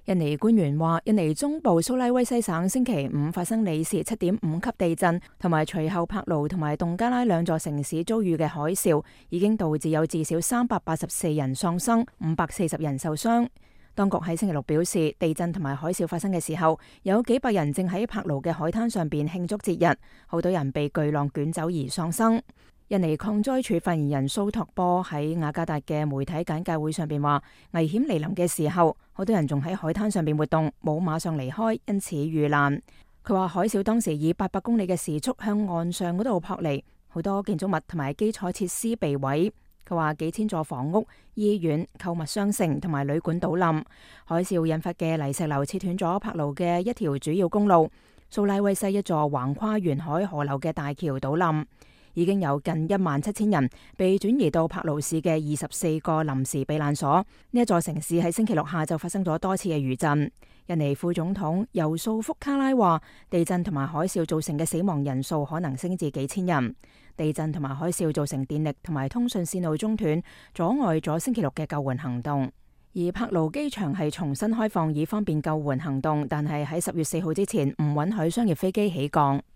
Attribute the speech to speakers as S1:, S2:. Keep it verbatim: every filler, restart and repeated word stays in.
S1: 印尼官員話，印尼中部蘇拉威西省星期五發生里氏七點五級地震，同埋隨後柏勞同埋洞加拉兩座城市遭遇嘅海嘯，已經導致有至少三百八十四人喪生，五百四十人受傷。當局喺星期六表示，地震同埋海嘯發生嘅時候，有幾百人正喺柏勞嘅海灘上邊慶祝節日，好多人被巨浪捲走而喪生。印尼抗災處發言人蘇托波喺雅加達嘅媒體簡介會上邊話，危險嚟臨嘅時候，好多人仲喺海灘上邊活動，冇馬上離開，因此遇難。佢話海嘯當時以八百公里嘅時速向岸上嗰度撲嚟，好多建築物同埋基礎設施被毀。佢話幾千座房屋、醫院、購物商城同埋旅館倒冧。海嘯引發嘅泥石流切斷咗柏勞嘅一條主要公路，蘇拉威西一座橫跨沿海河流嘅大橋倒冧。已經有近一萬七千人被轉移到柏勞市嘅二十四個臨時避難所。呢一座城市喺星期六下晝發生咗多次嘅餘震。印尼副總統尤素福卡拉話，地震同埋海嘯造成嘅死亡人數可能升至幾千人。地震同埋海嘯造成電力同埋通訊線路中斷，阻礙咗星期六嘅救援行動。而柏勞機場係重新開放以方便救援行動，但係喺十月四號之前唔允許商業飛機起降。